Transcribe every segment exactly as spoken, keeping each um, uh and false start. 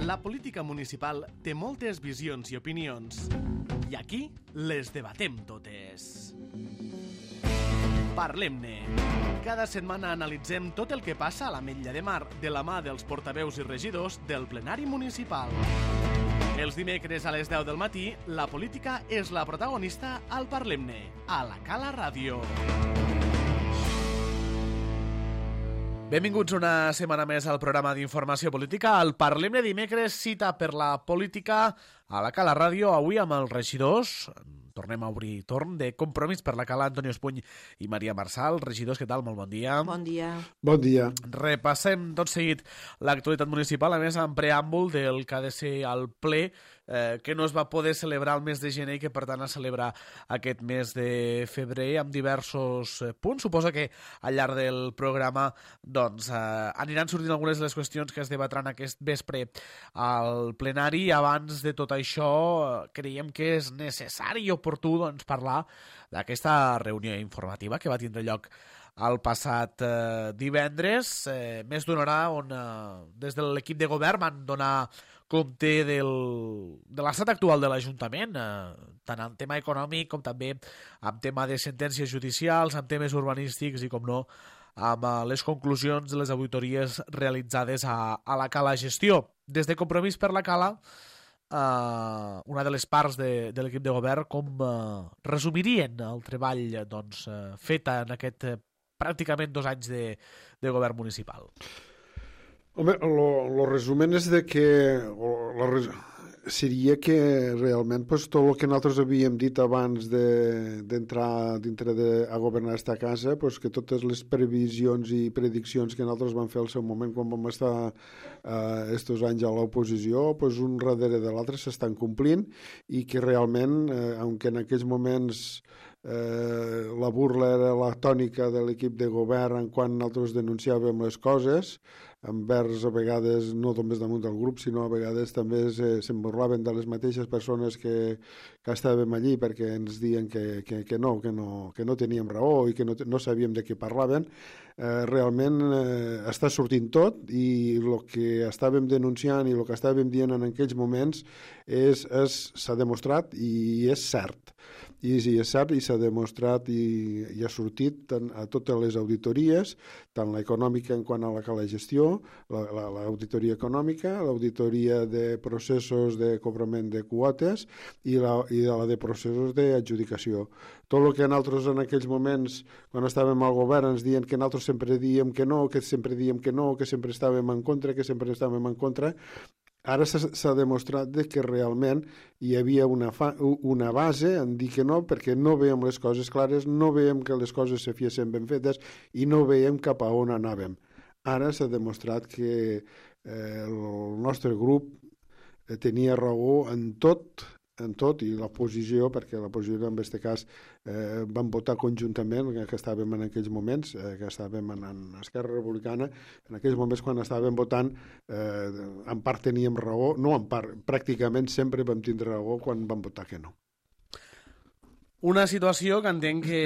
La política municipal té moltes visions i opinions, i aquí les debatem totes. Parlem-ne. Cada setmana analitzem tot el que passa a l'Ametlla de Mar de la mà dels portaveus i regidors del plenari municipal. Els dimecres a les deu del matí, la política és la protagonista al Parlem-ne, a la Cala Ràdio. Benvinguts una setmana més al programa d'informació política. Al Parlem-ne dimecres, cita per la política a la Cala Ràdio, avui amb els regidors. Tornem a obrir torn de Compromís per la Cala, Antonio Espuny i Maria Marçal. Regidors, què tal? Molt bon dia. Bon dia. Bon dia. Repassem tot seguit l'actualitat municipal, a més, en preàmbul del que ha de ser el ple, eh, que no es va poder celebrar el mes de gener i que, per tant, es celebra aquest mes de febrer amb diversos punts. Suposa que al llarg del programa doncs, eh, aniran sortint algunes de les qüestions que es debatran aquest vespre al plenari. Abans de tot això, creiem que és necessari i oportú doncs, parlar d'aquesta reunió informativa que va tindre lloc el passat eh, divendres, eh, més d'una hora on eh, des de l'equip de govern van donar compte del, de l'estat actual de l'Ajuntament, eh, tant en tema econòmic com també en tema de sentències judicials, en temes urbanístics i, com no, amb eh, les conclusions de les auditories realitzades a, a la Cala Gestió. Des de Compromís per la Cala, Uh, una de les parts de, de l'equip de govern, com uh, resumirien el treball doncs, uh, fet en aquest uh, pràcticament dos anys de, de govern municipal? Home, el resumen és de que o, la res... seria que realment pues, tot el que nosaltres havíem dit abans d'entrar de, dintre de, a governar esta casa, pues, que totes les previsions i prediccions que nosaltres vam fer al seu moment quan vam estar eh, estos anys a l'oposició, pues, un darrere de l'altre s'estan complint i que realment, eh, aunque en aquells moments eh, la burla era la tònica de l'equip de govern quan nosaltres denunciàvem les coses, envers a vegades no només damunt del grup, sinó a vegades també se'n burlaven de les mateixes persones que, que estàvem allí perquè ens diuen que, que, que, no, que, no, que no teníem raó i que no, no sabíem de què parlaven. Eh, realment eh, està sortint tot i el que estàvem denunciant i el que estàvem dient en aquells moments és, és, s'ha demostrat i és cert. I sí, és cert i s'ha demostrat i, i ha sortit tant a totes les auditories, tant l'econòmica en quant a la Cala Gestió, l'auditoria la, la, econòmica, l'auditoria de processos de cobrament de quotes i la, i la de processos d'adjudicació. Tot el que nosaltres en aquells moments, quan estàvem al govern, ens diuen que nosaltres sempre diem que no, que sempre diem que no, que sempre estàvem en contra, que sempre estàvem en contra. Ara s'ha demostrat que realment hi havia una, fa, una base en dir que no, perquè no veiem les coses clares, no veiem que les coses se fiessin ben fetes i no veiem cap a on anàvem. Ara s'ha demostrat que eh, el nostre grup eh, tenia raó en tot, en tot, i l'oposició, perquè l'oposició en aquest cas eh, van votar conjuntament, que estàvem en aquells moments, eh, que estàvem en, en Esquerra Republicana, en aquells moments quan estàvem votant, eh, en part teníem raó, no en part, pràcticament sempre vam tindre raó quan vam votar que no. Una situació que entenc que,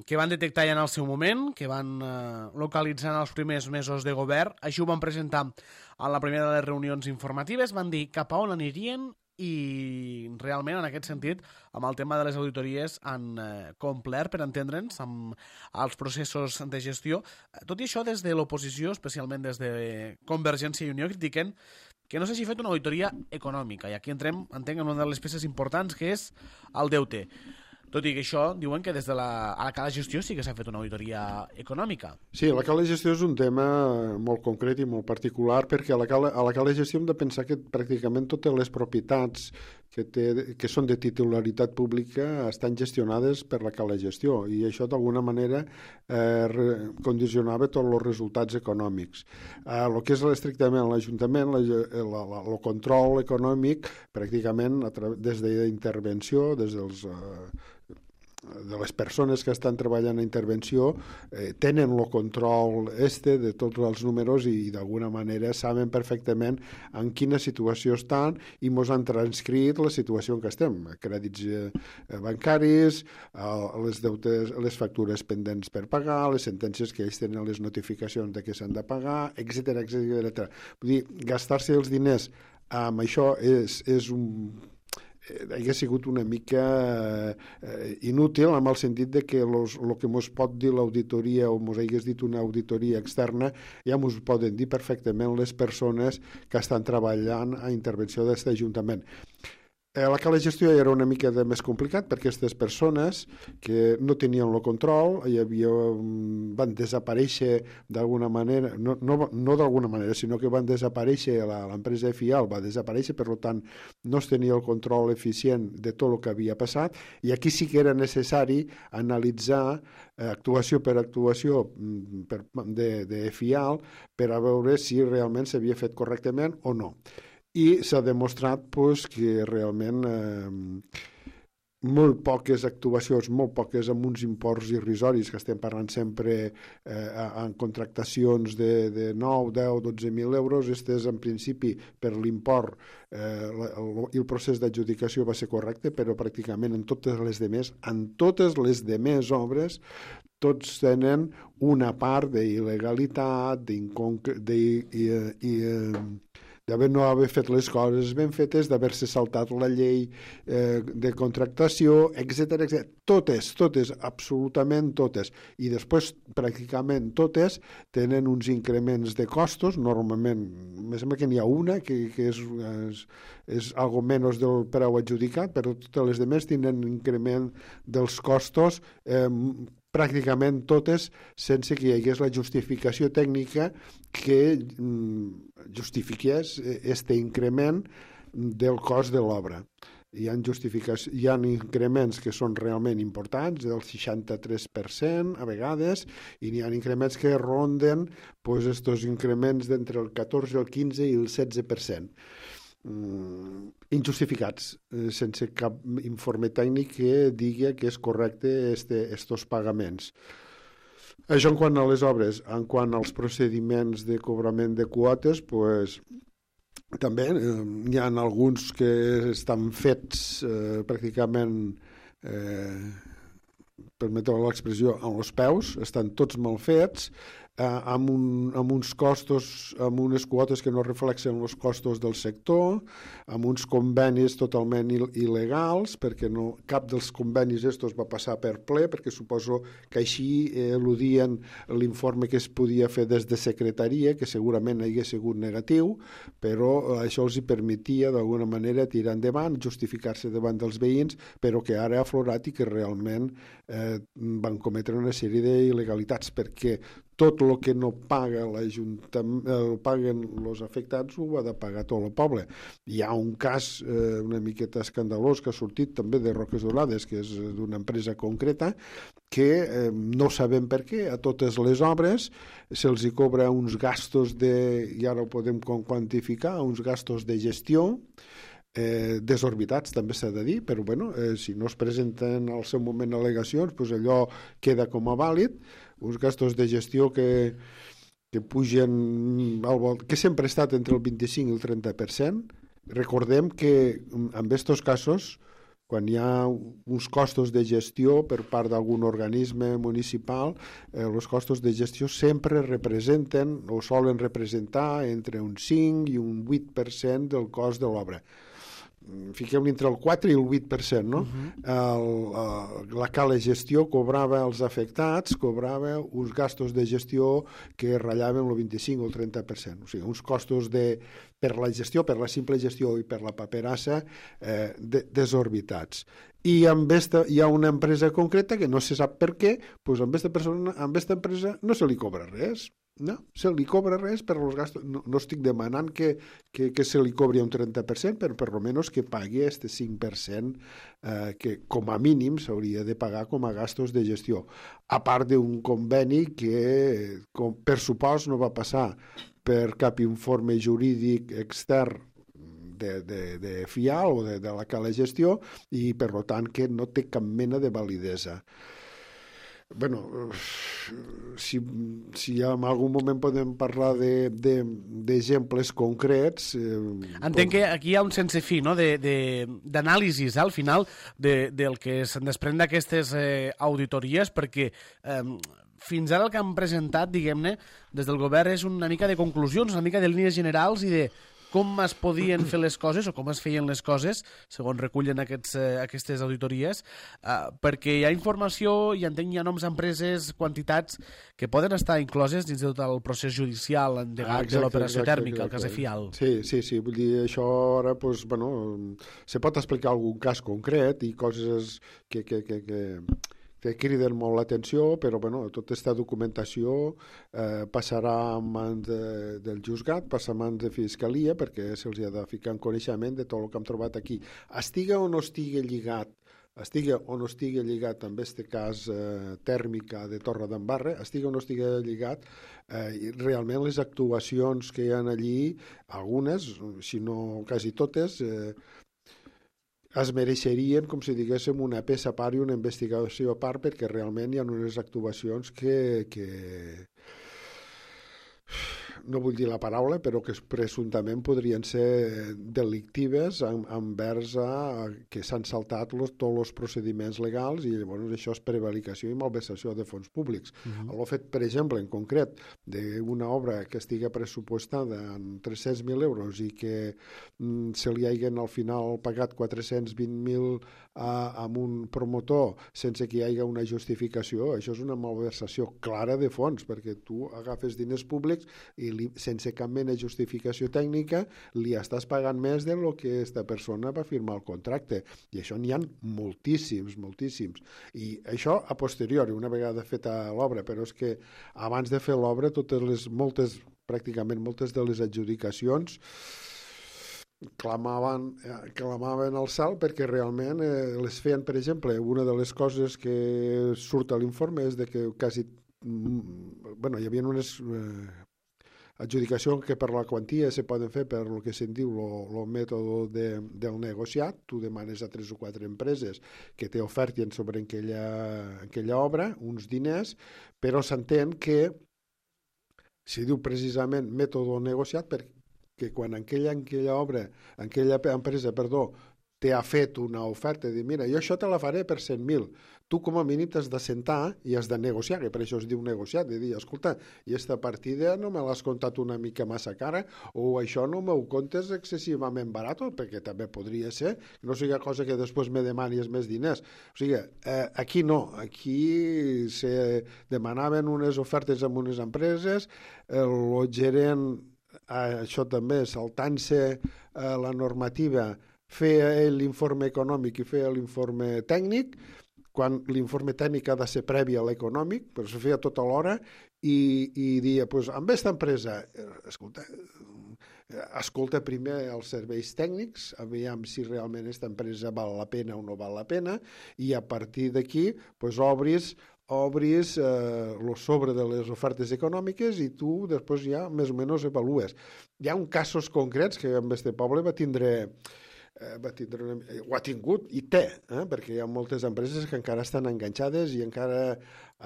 que van detectar ja en el seu moment, que van eh, localitzar en els primers mesos de govern. Això ho van presentar a la primera de les reunions informatives, van dir cap a on anirien i realment en aquest sentit amb el tema de les auditories han eh, complert, per entendre'ns, amb els processos de gestió. Tot i això, des de l'oposició, especialment des de Convergència i Unió, critiquen que no s'hagi fet una auditoria econòmica, i aquí entrem, entenc, en una de les peces importants, que és el deute. Tot i que això, diuen que des de la, a la Cala Gestió sí que s'ha fet una auditoria econòmica. Sí, la Cala Gestió és un tema molt concret i molt particular, perquè a la Cala, a la Cala Gestió hem de pensar que pràcticament totes les propietats que, té, que són de titularitat pública estan gestionades per la Cala Gestió, i això d'alguna manera eh, condicionava tots els resultats econòmics. Eh, el que és estrictament l'Ajuntament, el control econòmic, pràcticament des d'intervenció, des dels eh, de les persones que estan treballant a intervenció eh, tenen el control este de tots els números i d'alguna manera saben perfectament en quina situació estan i mos han transcrit la situació en què estem, crèdits eh, bancaris, eh, les deutes, les factures pendents per pagar, les sentències que ells tenen, les notificacions de què s'han de pagar, etcètera, etcètera. Vull dir, gastar-se els diners amb això és, és un... hauria sigut una mica eh, inútil en el sentit de que el que ens pot dir l'auditoria o ens hagués dit una auditoria externa ja ens poden dir perfectament les persones que estan treballant a intervenció d'aquest Ajuntament. Eh, la cala gestió era una mica de més complicat perquè aquestes persones que no tenien el control hi havia, van desaparèixer d'alguna manera, no, no, no d'alguna manera, sinó que van desaparèixer, l'empresa F I A L va desaparèixer, per tant no es tenia el control eficient de tot el que havia passat, i aquí sí que era necessari analitzar eh, actuació per actuació per, de, de F I A L per a veure si realment s'havia fet correctament o no. I s'ha demostrat pues, que realment eh, molt poques actuacions, molt poques amb uns imports irrisoris, que estem parlant sempre eh, en contractacions de, de nou, deu, dotze mil euros. Estes, en principi, per l'import eh, el, el procés d'adjudicació va ser correcte, però pràcticament en totes les demés, en totes les demés obres, tots tenen una part d'il·legalitat, d'haver no haver fet les coses ben fetes, d'haver-se saltat la llei eh, de contractació, etcètera, etcètera. Totes, totes, absolutament totes. I després, pràcticament totes, tenen uns increments de costos, normalment, me sembla que n'hi ha una, que, que és, és, és algo menys del preu adjudicat, però totes les demés tenen increment dels costos eh, pràcticament totes sense que hi hagués la justificació tècnica que justifiqués aquest increment del cost de l'obra. Hi ha, hi ha increments que són realment importants, del seixanta-tres per cent a vegades, i n'hi ha increments que ronden pues, estos increments d'entre el catorze, el quinze i el setze per cent. Mm, injustificats, eh, sense cap informe tècnic que digui que és correcte este, estos pagaments. Això en quant a les obres. En quant als procediments de cobrament de quotes, pues, també eh, hi ha alguns que estan fets eh, pràcticament, eh, permeteu l'expressió, amb els peus, estan tots mal fets, Eh, amb, un, amb uns costos, amb unes quotes que no reflexen els costos del sector, amb uns convenis totalment il·legals, perquè no, cap dels convenis estos va passar per ple, perquè suposo que així eh, eludien l'informe que es podia fer des de secretaria, que segurament hagués sigut negatiu, però això els hi permetia d'alguna manera tirar endavant, justificar-se davant dels veïns, però que ara ha aflorat i que realment eh, van cometre una sèrie d'il·legalitats, perquè tot el que no paga l'Ajuntament, eh, paguen els afectats, ho ha de pagar tot el poble. Hi ha un cas eh, una miqueta escandalós que ha sortit també de Roques Dorades, que és d'una empresa concreta, que eh, no sabem per què a totes les obres se'ls hi cobra uns gastos de, i ara ho podem quantificar, uns gastos de gestió, Eh, desorbitats també s'ha de dir, però bueno, eh, si no es presenten al seu moment al·legacions, pues allò queda com a vàlid, uns gastos de gestió que, que pugen al vol, que sempre ha estat entre el vint-i-cinc i el trenta per cent. Recordem que en aquests casos, quan hi ha uns costos de gestió per part d'algun organisme municipal, eh, els costos de gestió sempre representen o solen representar entre un cinc i un vuit per cent del cost de l'obra. Fiquem entre el quatre i el vuit per cent, no? Uh-huh. el, la cala gestió cobrava als afectats, cobrava uns gastos de gestió que ratllaven el vint-i-cinc o el trenta per cent. O sigui, uns costos de, per la gestió, per la simple gestió i per la paperassa eh, de, desorbitats. I amb esta, hi ha una empresa concreta que no se sap per què, doncs amb aquesta persona, amb aquesta empresa no se li cobra res. No, se li cobra res per els gastos. No, no estic demanant que, que, que se li cobri un trenta per cent, però per almenys que pagui aquest cinc per cent eh, que com a mínim s'hauria de pagar com a gastos de gestió. A part d'un conveni que com, per supost no va passar per cap informe jurídic extern de, de, de F I A L o de, de la cala gestió i per tant que no té cap mena de validesa. Bueno, si, si en algun moment podem parlar d'exemples de, de, concrets... Eh, Entenc que aquí hi ha un sense fi, no?, d'anàlisis, eh, al final, de, del que se'n desprèn d'aquestes eh, auditories, perquè eh, fins ara el que han presentat, diguem-ne, des del govern és una mica de conclusions, una mica de línies generals i de com es podien fer les coses o com es feien les coses, segons recullen aquests, eh, aquestes auditories, eh, perquè hi ha informació i entenc hi ha noms d'empreses, quantitats que poden estar incloses dins de tot el procés judicial endegat ah, exacte, de l'operació tèrmica, exacte. El cas de Fial. Sí, sí, sí, vull dir, això ara, pues, bueno, se pot explicar algun cas concret i coses que, que, que, que, que criden molt l'atenció, però bueno, tota aquesta documentació eh, passarà a mans de, del juzgat, passarà a mans de fiscalia, perquè se'ls ha de ficar en coneixement de tot el que hem trobat aquí. Estiga o no estigui lligat, estiga o no estigui lligat amb aquest cas eh, tèrmica de Torre d'Embarra, estiga o no estigui lligat, eh, realment les actuacions que hi ha allí, algunes, si no quasi totes, eh, es mereixerien, com si diguéssim, una peça a part i una investigació a part, perquè realment hi ha unes actuacions que, que no vull dir la paraula, però que presumptament podrien ser delictives envers a, que s'han saltat los, tots els procediments legals i llavors això és prevaricació i malversació de fons públics. Uh-huh. El fet, per exemple, en concret, d'una obra que estigui pressupostada en tres-cents mil euros i que mm, se li hagin al final pagat quatre-cents vint mil a, a un promotor sense que hi hagi una justificació, això és una malversació clara de fons, perquè tu agafes diners públics i li, sense cap mena de justificació tècnica li estàs pagant més de lo que aquesta persona va firmar el contracte, i això n'hi ha moltíssims, moltíssims, i això a posteriori, una vegada feta l'obra, però és que abans de fer l'obra totes les, moltes, pràcticament moltes de les adjudicacions clamaven, eh, clamaven al cel perquè realment eh, les feien, per exemple, una de les coses que surt a l'informe és de que quasi, mm, bueno, hi havia unes eh, adjudicacions que per la quantia se poden fer per el que se'n diu el mètode de, del negociat. Tu demanes a tres o quatre empreses que t'ofertin sobre aquella, aquella obra uns diners, però s'entén que si diu precisament mètode negociat perquè que quan aquella, aquella obra, aquella empresa, perdó, t'ha fet una oferta i dir, mira, jo això te la faré per cent mil. Tu com a mínim t'has de sentar i has de negociar, que per això es diu negociat, de dir, escolta, i aquesta partida no me l'has comptat una mica massa cara, o això no m'ho comptes excessivament barat, perquè també podria ser, no sigui cosa que després me demanis més diners. O sigui, eh, aquí no, aquí se demanaven unes ofertes amb unes empreses, el gerent això també, saltant-se eh, la normativa, feia l'informe econòmic i feia l'informe tècnic, quan l'informe tècnic ha de ser previ a l'econòmic, però se feia tot alhora, i, i dia, pues, amb aquesta empresa, escolta, escolta primer els serveis tècnics, aviam si realment aquesta empresa val la pena o no val la pena, i a partir d'aquí pues, obris obris eh, el sobre de les ofertes econòmiques i tu després ja més o menys avalues. Hi ha un casos concrets que en este poble va tindre, eh, va tindre una, ho ha tingut i té, eh, perquè hi ha moltes empreses que encara estan enganxades i encara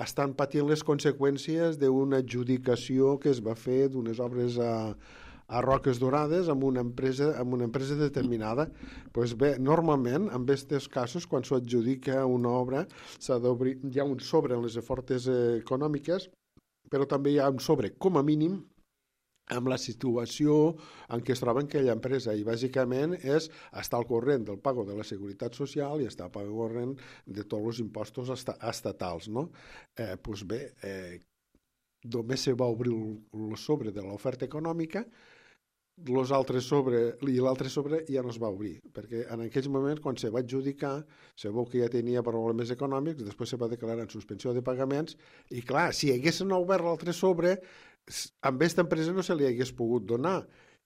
estan patint les conseqüències d'una adjudicació que es va fer d'unes obres a a Roques Dorades amb una empresa, amb una empresa determinada. Pues bé, normalment, en aquests casos, quan s'adjudica una obra, s'ha d'obrir, hi ha un sobre en les ofertes econòmiques, però també hi ha un sobre, com a mínim, amb la situació en què es troba aquella empresa, i bàsicament és estar al corrent del pago de la Seguretat Social i estar al corrent de tots els impostos estatals, no? Eh, pues bé, eh, només se va obrir el sobre de l'oferta econòmica, los altres sobre, i l'altre sobre ja no es va obrir, perquè en aquells moments, quan se va adjudicar, se veu que ja tenia problemes econòmics, després se va declarar en suspensió de pagaments, i clar, si haguessin obert l'altre sobre, amb aquesta empresa no se li hagués pogut donar,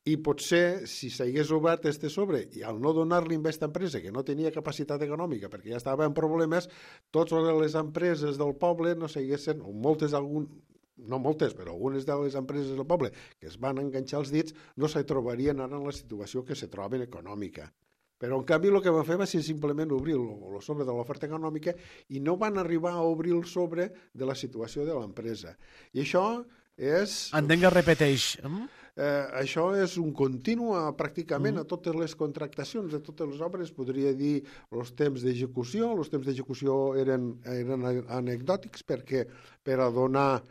i potser, si s'hagués obert este sobre, i al no donar-li a aquesta empresa, que no tenia capacitat econòmica, perquè ja estava en problemes, totes les empreses del poble no s'haguessin, o moltes, algun, no moltes, però algunes de les empreses del poble que es van enganxar els dits no se trobarien ara en la situació que se troben econòmica. Però, en canvi, el que van fer va ser simplement obrir el sobre de l'oferta econòmica i no van arribar a obrir el sobre de la situació de l'empresa. I això és... Entenc que repeteix. Eh, això és un continu pràcticament mm. a totes les contractacions de totes les obres, podria dir els temps d'execució. Els temps d'execució eren, eren anecdòtics perquè per a donar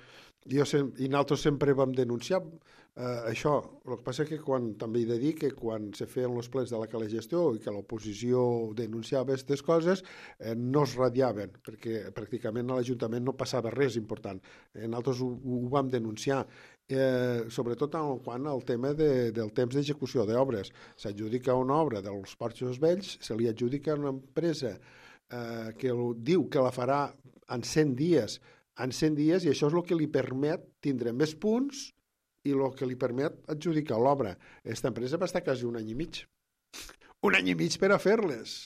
jo sem i nosaltres sempre vam denunciar eh, això. El que passa que quan, també he de dir que quan se feien els plens de la cala gestió i que l'oposició denunciava aquestes coses, eh, no es radiaven, perquè pràcticament a l'Ajuntament no passava res important. Eh, nosaltres ho, ho vam denunciar. Eh, sobretot en quant al tema de, del temps d'execució d'obres. S'adjudica una obra dels Porxos Vells, se li adjudica una empresa eh, que diu que la farà en cent dies, en cent dies, i això és el que li permet tindre més punts i el que li permet adjudicar l'obra. Aquesta empresa va estar quasi un any i mig. Un any i mig per a fer-les.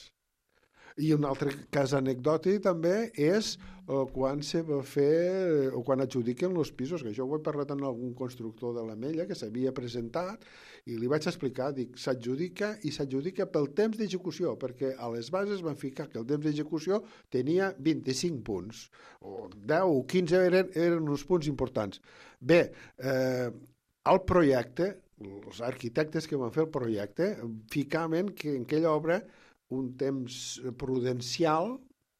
I un altre cas anecdòtic també és eh, quan se va fer o quan adjudiquen els pisos, que jo ho he parlat amb algun constructor de l'Ametlla que s'havia presentat i li vaig explicar, dic, s'adjudica i s'adjudica pel temps d'execució, perquè a les bases van ficar que el temps d'execució tenia vint-i-cinc punts, o deu o quinze eren, eren uns punts importants. Bé, eh, el projecte, els arquitectes que van fer el projecte, ficaven que en aquella obra un temps prudencial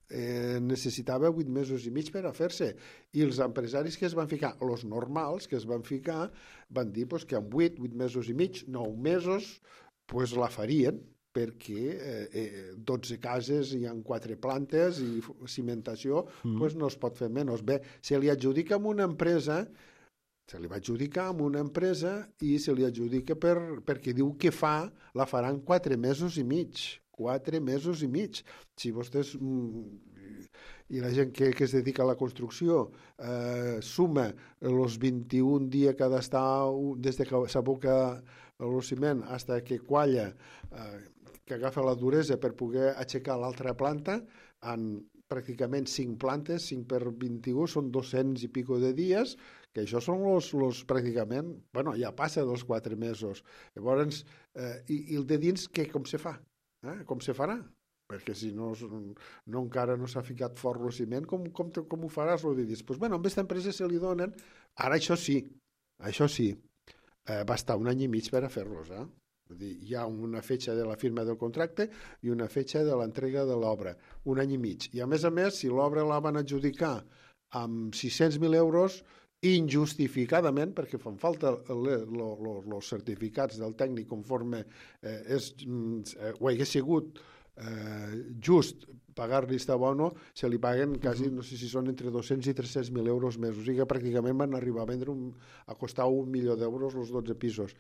eh, necessitava vuit mesos i mig per a fer-se, i els empresaris que es van ficar, els normals que es van ficar, van dir pues, que en vuit, vuit mesos i mig, nou mesos, pues, la farien, perquè eh, eh, dotze cases hi ha quatre plantes i cimentació, mm. pues, no es pot fer menys. Bé, se li adjudica a una empresa se li va adjudicar a una empresa i se li adjudica per, perquè diu que fa, la faran quatre mesos i mig. Quatre mesos i mig. Si vostès i la gent que, que es dedica a la construcció eh, suma els vint-i-un dies que ha d'estar des de que s'aboca el ciment fins que qualla, eh, que agafa la duresa per poder aixecar l'altra planta, en pràcticament cinc plantes, cinc per vint-i-u, són dos-cents i pico de dies, que això són los, los pràcticament, bueno, ja passa dels quatre mesos. Llavors, eh, i, i el de dins, què, com se fa? Eh? Com se farà? Perquè si no, no encara no s'ha ficat fort el ciment, com, com, com ho faràs? El de dins? Pues, bueno, amb aquesta empresa se li donen, ara això sí, això sí, eh, va estar un any i mig per a fer-los, eh? Vull dir, hi ha una fetge de la firma del contracte i una fetge de l'entrega de l'obra, un any i mig. I a més a més, si l'obra la van adjudicar amb sis-cents mil euros, injustificadament, perquè fan falta els certificats del tècnic conforme eh, és, eh, ho hagués sigut eh, just pagar-li esta bono, se li paguen quasi, no sé si són entre dos-cents i tres-cents mil euros més, o sigui que pràcticament van arribar a vendre un, a costar un milió d'euros els dotze pisos.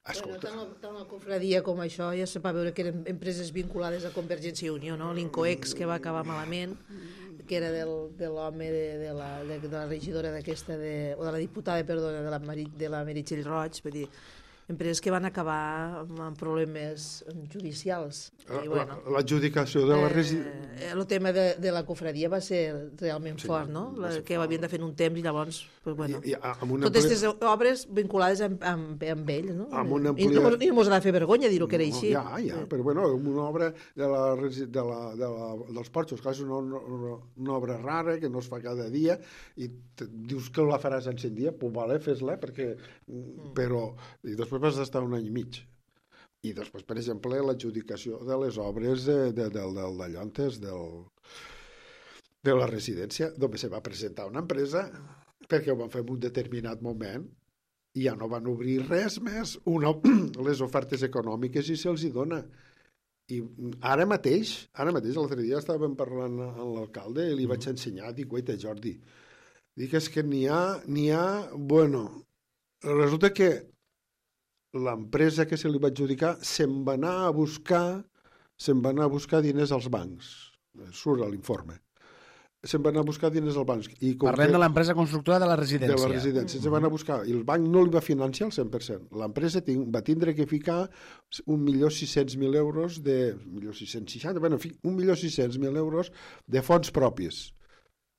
Escolta. Bueno, tant, tant la confradia com això ja se va veure que eren empreses vinculades a Convergència i Unió, no? L'Incoex, que va acabar malament, que era del, de l'home de, de, la, de, de la regidora d'aquesta, de, o de la diputada, perdona, de la, Mari, de la Meritxell Roig, vull dir, empreses que van acabar amb problemes judicials. Bueno, l'adjudicació de la residència... Eh, el tema de, de la confradia va ser realment sí, fort, no? La, que ho havien de fer en un temps i llavors, pues, bueno, I, i, totes aquestes ampli... obres vinculades amb, amb, amb ell, no? Amplia... I no, i no mos ha de fer vergonya dir-ho que era així. Ja, ja, eh. però bueno, una obra de la, de la, de la, dels Porxos, que és una, una, una obra rara, que no es fa cada dia, i te, dius que la faràs en cent dies, pues vale, fes-la, perquè... Mm. Però... I després vas estar un any i mig. I després, per exemple, l'adjudicació de les obres de, de, de, de, de Llontes, del, de la residència, on se va presentar una empresa perquè ho van fer en un determinat moment i ja no van obrir res més, una, les ofertes econòmiques i se'ls hi dona. I ara mateix, ara mateix, l'altre dia estàvem parlant amb l'alcalde i li vaig ensenyar, dic, guaita, Jordi, dic, és que n'hi ha, n'hi ha, bueno, resulta que l'empresa que se li va adjudicar se'n va anar a buscar se'n va anar a buscar diners als bancs. Surt a l'informe. Se'n va anar a buscar diners als bancs. I Parlem que... de l'empresa constructora de la residència. De la residència. Mm-hmm. Se van a buscar. I el banc no li va financiar el cent per cent. L'empresa ting... va tindre que ficar un milió sis-cents mil euros de... un milió sis-cents seixanta, bueno, un milió sis-cents mil euros de fons propis.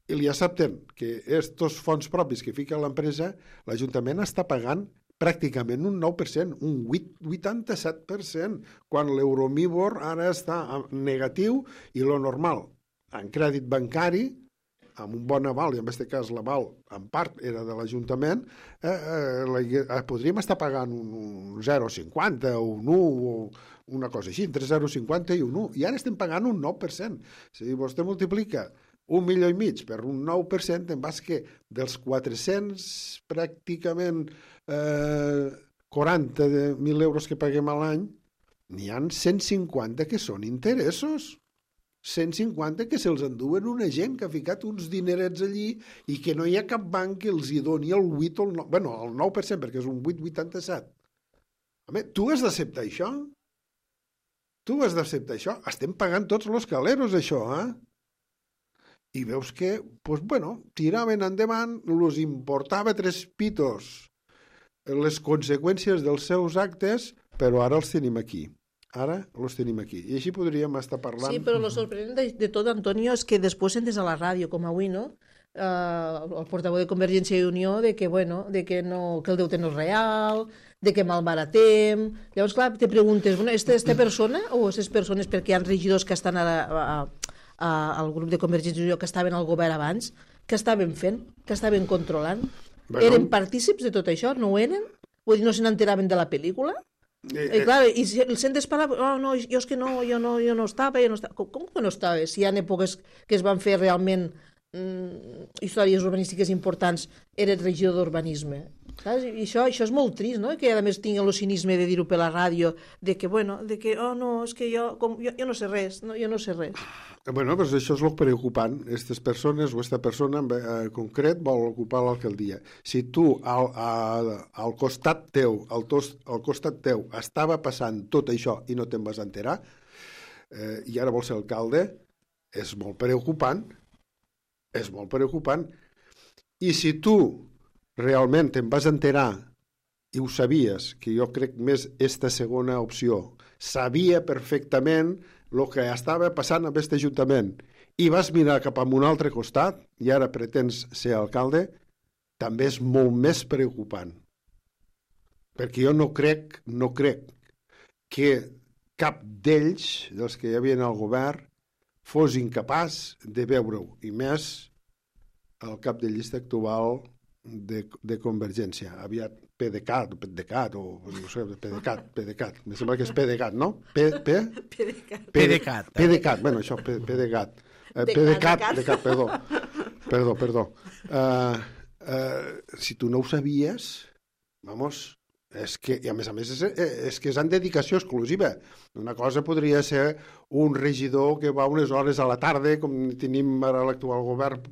I li accepten que estos fons propis que fica l'empresa, l'Ajuntament està pagant pràcticament un nou per cent, un vuitanta-set per cent, quan l'Euromibor ara està negatiu i lo normal, en crèdit bancari, amb un bon aval, i en aquest cas l'aval en part era de l'Ajuntament, eh, eh, eh, podríem estar pagant un, un zero coma cinquanta o un u o una cosa així, entre zero coma cinquanta i un u, i ara estem pagant un nou per cent. Si vostè multiplica un milió i mig per un nou per cent, en vas que dels quatre-cents pràcticament eh, quaranta mil euros que paguem a l'any, n'hi ha cent cinquanta que són interessos. cent cinquanta que se'ls enduen una gent que ha ficat uns dinerets allí i que no hi ha cap banc que els hi doni el vuit o el nou, bueno, el nou per cent, perquè és un vuit coma vuitanta-set. Home, tu has d'acceptar això? Tu has d'acceptar això? Estem pagant tots els caleros, això, eh? I veus que, doncs, bueno, tiraven endavant, els importava tres pitos les conseqüències dels seus actes, però ara els tenim aquí. Ara els tenim aquí. I així podríem estar parlant... Sí, però el sorprenent de, de tot, Antonio, és que després sentes a la ràdio, com avui, no? Uh, el portaveu de Convergència i Unió, de que, bueno, de que, no, que el deute no és real, de que malbaratem... Llavors, clar, te preguntes, bueno, esta, esta persona o aquestes persones, perquè hi ha regidors que estan a, a, a, al grup de Convergència i Unió, que estaven al govern abans, que estaven fent, que estaven controlant? Bueno. Eren partícips de tot això? No ho eren? Vull dir, no se n'enteraven de la pel·lícula? Eh, eh. I clar, i si el sentes parlar, oh, no, jo és que no, jo no, jo no estava, jo no estava. Com, com que no estava? Si hi ha èpoques que es van fer realment mm, històries urbanístiques importants, eres regidor d'urbanisme. Saps? I això, això és molt trist, no? Que a més tinguin el cinisme de dir-ho per la ràdio, de que, bueno, de que, oh, no, és que jo, com, jo, jo no sé res, no, jo no sé res. Bueno, doncs això és el preocupant. Aquestes persones o aquesta persona en eh, concret vol ocupar l'alcaldia. Si tu al, al, al costat teu, al, tos, al costat teu estava passant tot això i no te'n vas enterar, eh, i ara vols ser alcalde, és molt preocupant. És molt preocupant. I si tu realment te'n vas enterar i ho sabies, que jo crec més esta segona opció, sabia perfectament el que estava passant amb aquest ajuntament i vas mirar cap a un altre costat i ara pretens ser alcalde, també és molt més preocupant. Perquè jo no crec, no crec que cap d'ells, dels que hi havia al govern, fos incapaç de veure-ho, i més el cap de llista actual de, de Convergència, aviat PDeCAT, o PDeCAT, o no sé, PDeCAT, PDeCAT, me sembla que és PDeCAT, no? P, P? PDeCAT. PDeCAT. PDeCAT, bueno, això, PDeCAT. PDeCAT, PDeCAT, perdó. Perdó, perdó. Uh, uh, si tu no ho sabies, vamos, és que, i a més a més, és, és que és en dedicació exclusiva. Una cosa podria ser un regidor que va unes hores a la tarda, com tenim ara l'actual govern,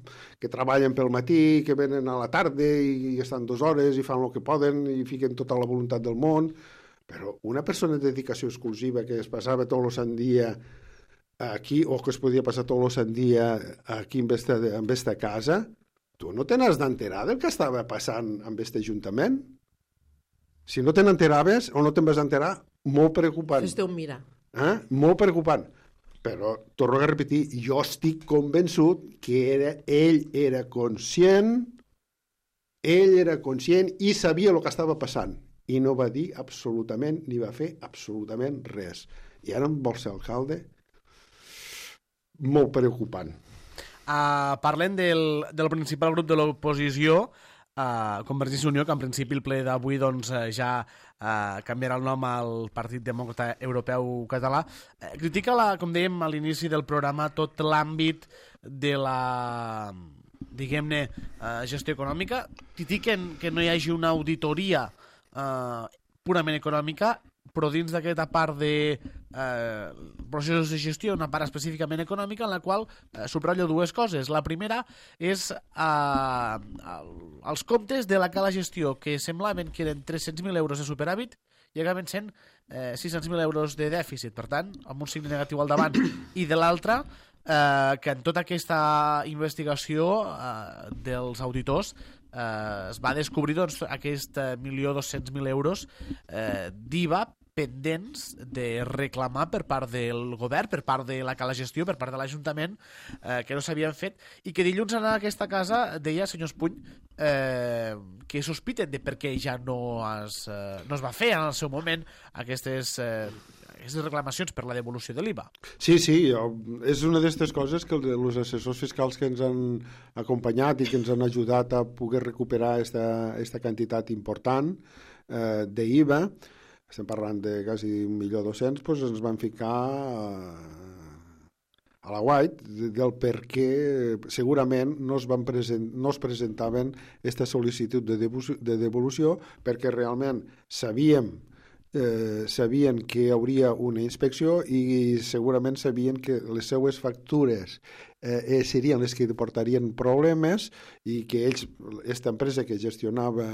que treballen pel matí, que venen a la tarda i, i estan dues hores i fan el que poden i fiquen tota la voluntat del món, però una persona de dedicació exclusiva que es passava tot el sant dia aquí, o que es podia passar tot el sant dia aquí en esta, en esta casa, tu no te n'has d'enterar del que estava passant amb aquest ajuntament? Si no te n'enteraves o no te'n vas enterar, molt preocupant. Fes-te un mirar. Eh? Molt preocupant. Però, torno a repetir, jo estic convençut que era, ell era conscient, ell era conscient i sabia el que estava passant. I no va dir absolutament, ni va fer absolutament res. I ara em vol ser alcalde? Molt preocupant. Uh, parlem del, del principal grup de l'oposició, Uh, Convergència i Unió, que en principi el ple d'avui doncs, uh, ja uh, canviarà el nom al Partit Demòcrata Europeu Català. Uh, critica, la, com dèiem a l'inici del programa, tot l'àmbit de la, diguem-ne, uh, gestió econòmica. Critiquen que no hi hagi una auditoria uh, purament econòmica, però dins d'aquesta part de eh, processos de gestió, una part específicament econòmica, en la qual eh, subratllo dues coses. La primera és eh, els comptes de la cala gestió, que semblaven que eren tres-cents mil euros de superàvit i acaben sent eh, sis-cents mil euros de dèficit, per tant, amb un signe negatiu al davant. I de l'altra, eh, que en tota aquesta investigació eh, dels auditors eh, es va descobrir doncs, aquest milió dos-cents mil euros eh, d'I V A pendents de reclamar per part del govern, per part de la cala gestió, per part de l'Ajuntament, eh, que no s'havien fet, i que dilluns anant a aquesta casa deia, senyor Espuny, eh, que sospiten de per què ja no es, eh, no es va fer en el seu moment aquestes, eh, aquestes reclamacions per la devolució de l'I V A. Sí, sí, és una d'aquestes coses que els assessors fiscals que ens han acompanyat i que ens han ajudat a poder recuperar aquesta quantitat important eh, d'I V A, estem parlant de quasi un milió dos-cents, doncs ens van ficar eh, a la White del per què segurament no es, van present, no es presentaven aquesta sol·licitud de devolució, de devolució perquè realment sabíem Eh, sabien que hi hauria una inspecció i segurament sabien que les seues factures eh, serien les que portarien problemes i que ells, aquesta empresa que gestionava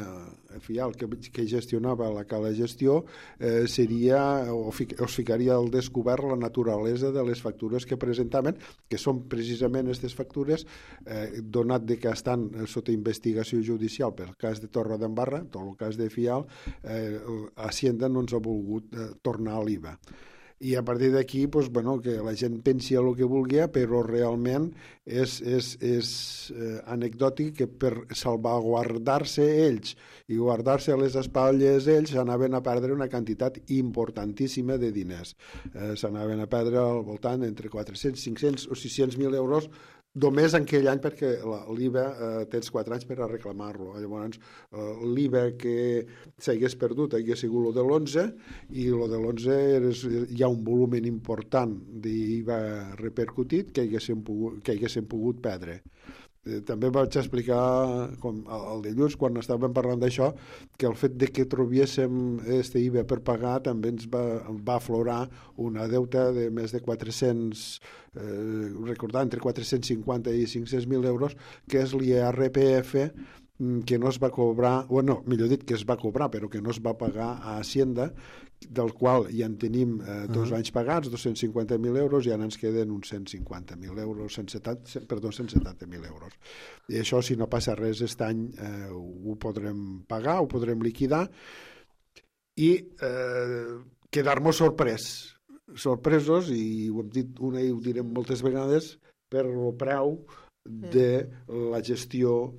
Fial, que, que gestionava la cala gestió eh, seria o, fi, o es ficaria al descobert la naturalesa de les factures que presentaven, que són precisament aquestes factures eh, donat de que estan sota investigació judicial pel cas de Torredembarra, tot el cas de Fial, eh, Hacienda no ens ha volgut eh, tornar a l'I V A. I a partir d'aquí, doncs, bueno, que la gent pensi el que vulgui, però realment és, és, és eh, anecdòtic que per salvaguardar-se ells i guardar-se a les espatlles ells s'anaven a perdre una quantitat importantíssima de diners. Eh, s'anaven a perdre al voltant entre quatre-cents, cinc-cents o sis-cents mil euros només en aquell any, perquè l'I V A eh, tens quatre anys per a reclamar-lo. Llavors, eh, l'I V A que s'hagués perdut hagués sigut el de l'onze i el de l'onze hi ha un volum important d'I V A repercutit que haguéssim pogut, que haguéssim pogut perdre. També vaig explicar com el dilluns quan estàvem parlant d'això que el fet de que trobéssim este I V A per pagar també ens va, va aflorar una deuta de més de quatre-cents eh, recordar, entre quatre-cents cinquanta i cinc-cents mil euros que és l'I R P F que no es va cobrar, bueno, millor dit que es va cobrar però que no es va pagar a Hacienda, del qual ja en tenim eh, dos uh -huh. anys pagats, dos-cents cinquanta mil euros, i ara ens queden uns cent cinquanta mil euros, cent setanta, perdó, cent setanta mil euros. I això, si no passa res aquest any, eh, ho podrem pagar, ho podrem liquidar i eh, quedar-nos sorprès, sorpresos, i ho hem dit una i ho direm moltes vegades, per el preu de la gestió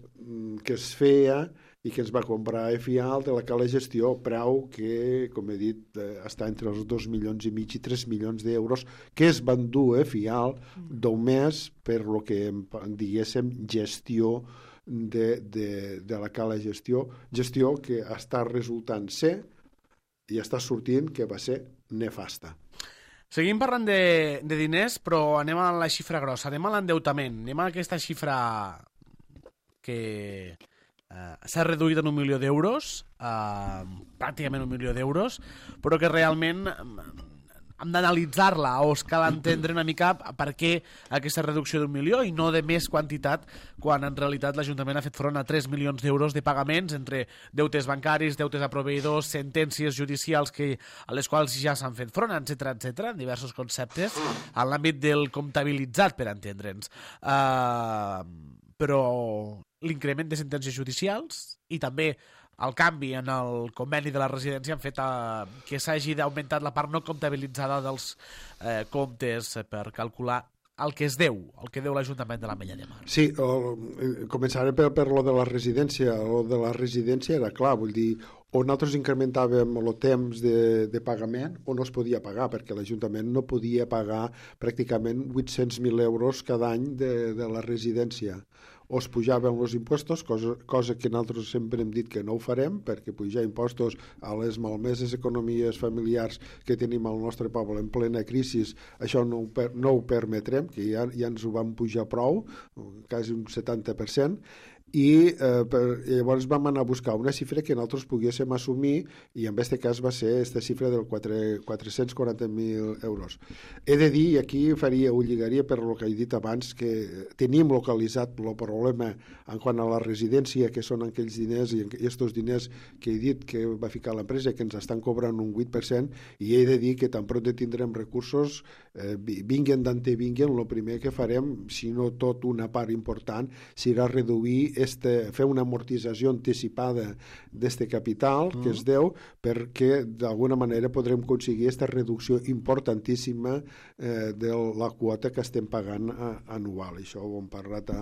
que es feia i que ens va comprar Fial de la cala gestió, preu que, com he dit, eh, està entre els dos milions i mig i tres milions d'euros que es van dur a Fial només per lo que diguéssim gestió de, de, de la cala gestió, gestió que està resultant ser i està sortint que va ser nefasta. Seguim parlant de, de diners, però anem a la xifra grossa, anem a l'endeutament, anem a aquesta xifra que eh, s'ha reduït en un milió d'euros, eh, pràcticament un milió d'euros, però que realment hem d'analitzar-la o es cal entendre una mica per què aquesta reducció d'un milió i no de més quantitat quan en realitat l'Ajuntament ha fet front a tres milions d'euros de pagaments entre deutes bancaris, deutes a proveïdors, sentències judicials que, a les quals ja s'han fet front, etcètera, etcètera, en diversos conceptes, en l'àmbit del comptabilitzat, per entendre'ns. Uh, però l'increment de sentències judicials i també el canvi en el conveni de la residència han fet a, que s'hagi d'augmentar la part no comptabilitzada dels eh, comptes per calcular el que es deu, el que deu l'Ajuntament de l'Ametlla de Mar. Sí, o, començaré per, per lo de la residència. Lo de la residència era clar, vull dir, o nosaltres incrementàvem el temps de, de pagament o no es podia pagar, perquè l'Ajuntament no podia pagar pràcticament vuit-cents mil euros cada any de, de la residència. O es pujaven els impostos, cosa, cosa que nosaltres sempre hem dit que no ho farem, perquè pujar impostos a les malmeses economies familiars que tenim al nostre poble en plena crisi, això no ho, no ho permetrem, que ja, ja ens ho vam pujar prou, quasi un setanta per cent, i eh, per, llavors vam anar a buscar una xifra que nosaltres poguéssim assumir i en aquest cas va ser aquesta xifra del quatre-cents quaranta mil euros. He de dir, i aquí faria, ho lligaria per el que he dit abans, que tenim localitzat el problema en quant a la residència, que són aquells diners i aquests diners que he dit que va ficar l'empresa, que ens estan cobrant un vuit per cent, i he de dir que tan pront tindrem recursos, eh, vinguen d'ante vinguen, el primer que farem, si no tot una part important, serà reduir Este, fer una amortització anticipada d'este capital que mm. es deu, perquè d'alguna manera podrem aconseguir aquesta reducció importantíssima eh, de la quota que estem pagant a, anual. Això ho hem parlat a,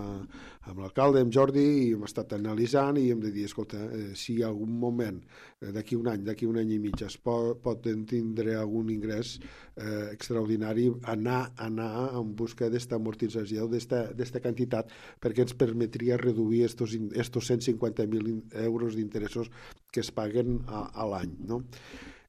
amb l'alcalde, amb Jordi, i hem estat analitzant i hem de dir, escolta, eh, si hi ha algun moment, eh, d'aquí un any, d'aquí un any i mig, es pot, pot tindre algun ingrés eh, extraordinari, anar, anar en busca d'esta amortització, d'esta quantitat, perquè ens permetria reduir estos, estos cent cinquanta mil euros d'interessos que es paguen a, a l'any, no?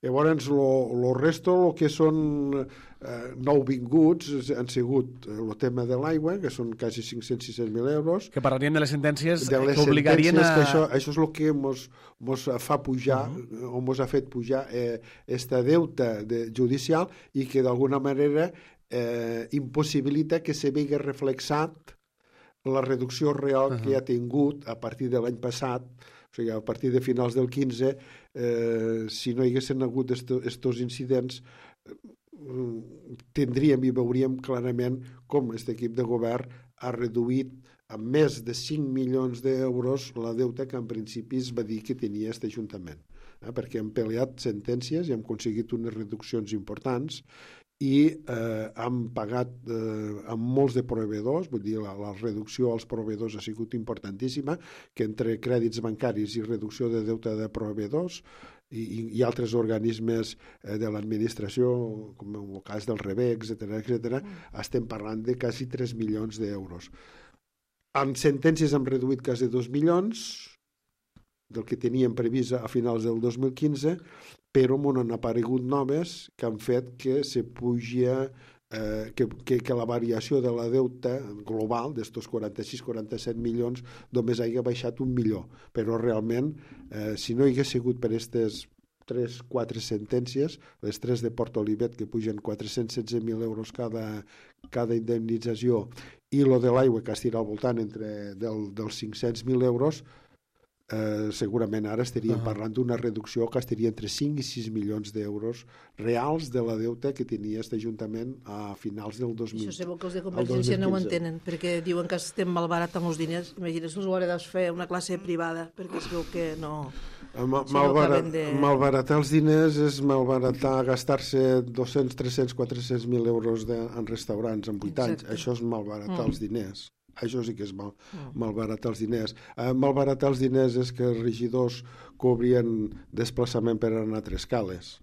Llavors, el resto, el que són eh, nouvinguts, han sigut el tema de l'aigua, que són quasi cinc-cents a sis-cents mil euros. Que parlarien de les sentències de les que obligarien sentències, a... que això, això és el que mos, mos fa pujar, uh -huh. o mos ha fet pujar eh, esta deuta de, judicial i que d'alguna manera eh, impossibilita que se vegi reflexat la reducció real uh -huh. que ha tingut a partir de l'any passat. O sigui, a partir de finals del quinze, eh, si no hi haguessin hagut estos incidents, eh, tindríem i veuríem clarament com aquest equip de govern ha reduït amb més de cinc milions d'euros la deuta que en principi es va dir que tenia aquest Ajuntament. Eh, perquè hem peleat sentències i hem aconseguit unes reduccions importants i eh, han pagat eh, amb molts de proveïdors, vull dir, la, la reducció als proveïdors ha sigut importantíssima, que entre crèdits bancaris i reducció de deute de proveïdors i, i, i altres organismes eh, de l'administració, com en el cas del REBEC, etcètera, etcètera, mm. estem parlant de quasi tres milions d'euros. En sentències hem reduït quasi dos milions del que teníem previst a finals del dos mil quinze, però m'han aparegut noves que han fet que se pugi, eh, que, que, que la variació de la deuta global d'estos quaranta-sis quaranta-set milions només hagi baixat un milió. Però realment, eh, si no hi hagués sigut per aquestes tres quatre sentències, les tres de Port Olivet que pugen quatre-cents setze mil euros cada, cada indemnització i lo de l'aigua que estirà al voltant entre del, dels cinc-cents mil euros, Eh, segurament ara estaríem uh -huh. parlant d'una reducció que estaria entre cinc i sis milions d'euros reals de la deuta que tenia aquest Ajuntament a finals del dos mil. Això segur que els de Convergència no ho entenen, perquè diuen que estem malbaratant els diners. Imagina't, els ho haurà de fer una classe privada, perquè es veu que no... Ma malbarat, no de... Malbaratar els diners és malbaratar, gastar-se dos-cents, tres-cents, quatre-cents mil euros de, en restaurants en vuit anys. Això és malbaratar mm. els diners. Això sí que és mal, malbaratar els diners. Eh, malbaratar els diners és que els regidors cobrien desplaçament per anar a tres cales.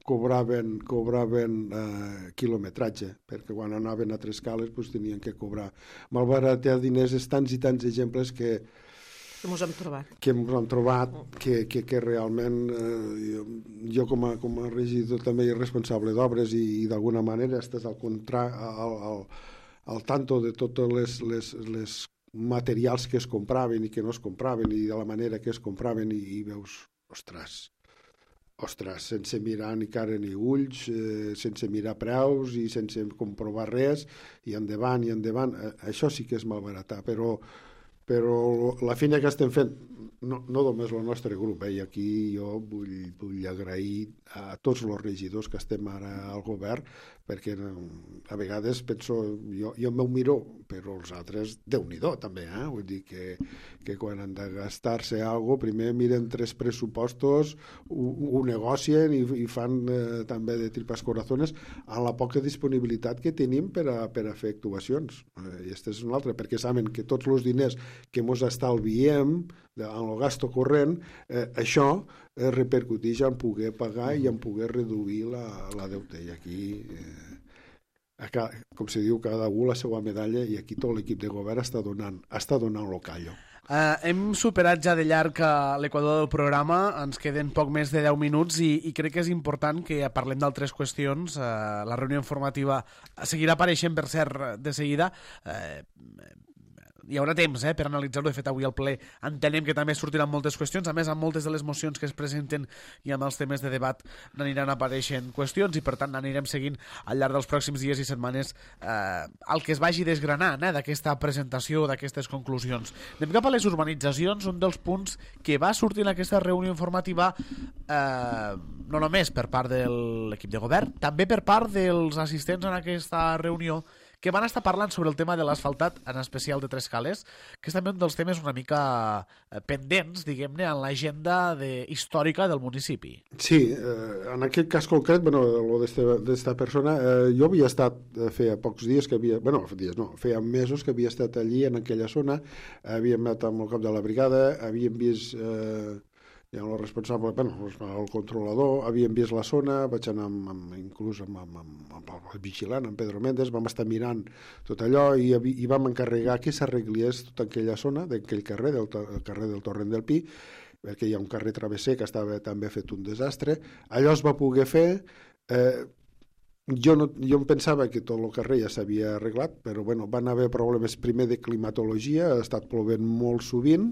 Cobraven, cobraven eh, quilometratge, perquè quan anaven a tres cales pues, tenien que cobrar. Malbaratar diners és tants i tants exemples que que ens hem trobat. Que ens hem trobat, que, que, que realment eh, jo, jo com, a, com a regidor també i responsable d'obres i, i d'alguna manera estàs al contrari, al, al al tanto de totes les, les, les materials que es compraven i que no es compraven i de la manera que es compraven i, i veus, ostres, ostres, sense mirar ni cara ni ulls, eh, sense mirar preus i sense comprovar res, i endavant i endavant, eh, això sí que és malbaratar, però, però la feina que estem fent, no, no només el nostre grup, eh, i aquí jo vull, vull agrair a tots els regidors que estem ara al govern, perquè a vegades penso, jo, jo m'ho miro, però els altres, Déu-n'hi-do també, eh? Vull dir que, que quan han de gastar-se alguna cosa, primer miren tres pressupostos, ho, ho negocien i, i fan eh, també de tripas corazones a la poca disponibilitat que tenim per a, per a fer actuacions. Eh, I aquesta és una altra, perquè saben que tots els diners que mos estalviem en el gasto corrent, eh, això eh, repercuteix en poder pagar i en poder reduir la, la deuta. I aquí, eh, a, com se diu, cada un la seva medalla, i aquí tot l'equip de govern està donant, està donant lo callo. Uh, hem superat ja de llarg l'equador del programa, ens queden poc més de deu minuts i, i crec que és important que parlem d'altres qüestions. Uh, la reunió informativa seguirà apareixent, per cert, de seguida. Uh, hi haurà temps eh, per analitzar-ho. De fet, avui al ple entenem que també sortiran moltes qüestions. A més, amb moltes de les mocions que es presenten i amb els temes de debat n'aniran apareixent qüestions i, per tant, anirem seguint al llarg dels pròxims dies i setmanes eh, el que es vagi desgranant eh, d'aquesta presentació, d'aquestes conclusions. Anem cap a les urbanitzacions, un dels punts que va sortir en aquesta reunió informativa eh, no només per part de l'equip de govern, també per part dels assistents en aquesta reunió, que van estar parlant sobre el tema de l'asfaltat, en especial de Tres Cales, que és també un dels temes una mica pendents, diguem-ne, en l'agenda de, històrica del municipi. Sí, eh, en aquest cas concret, bueno, lo d'esta persona, eh, jo havia estat, eh, feia pocs dies que havia, bueno, dies no, feia mesos que havia estat allí en aquella zona, havíem anat amb el cap de la brigada, havíem vist... Eh, i el responsable, bueno, el controlador, havíem vist la zona, vaig anar amb, amb, inclús amb, amb, amb, amb el vigilant, amb Pedro Méndez, vam estar mirant tot allò i, i vam encarregar que s'arreglés tota aquella zona, d'aquell carrer, del, el carrer del Torrent del Pi, perquè hi ha un carrer travesser que estava també fet un desastre. Allò es va poder fer. Eh, jo, no, jo em pensava que tot el carrer ja s'havia arreglat, però bueno, van haver problemes primer de climatologia, ha estat plovent molt sovint,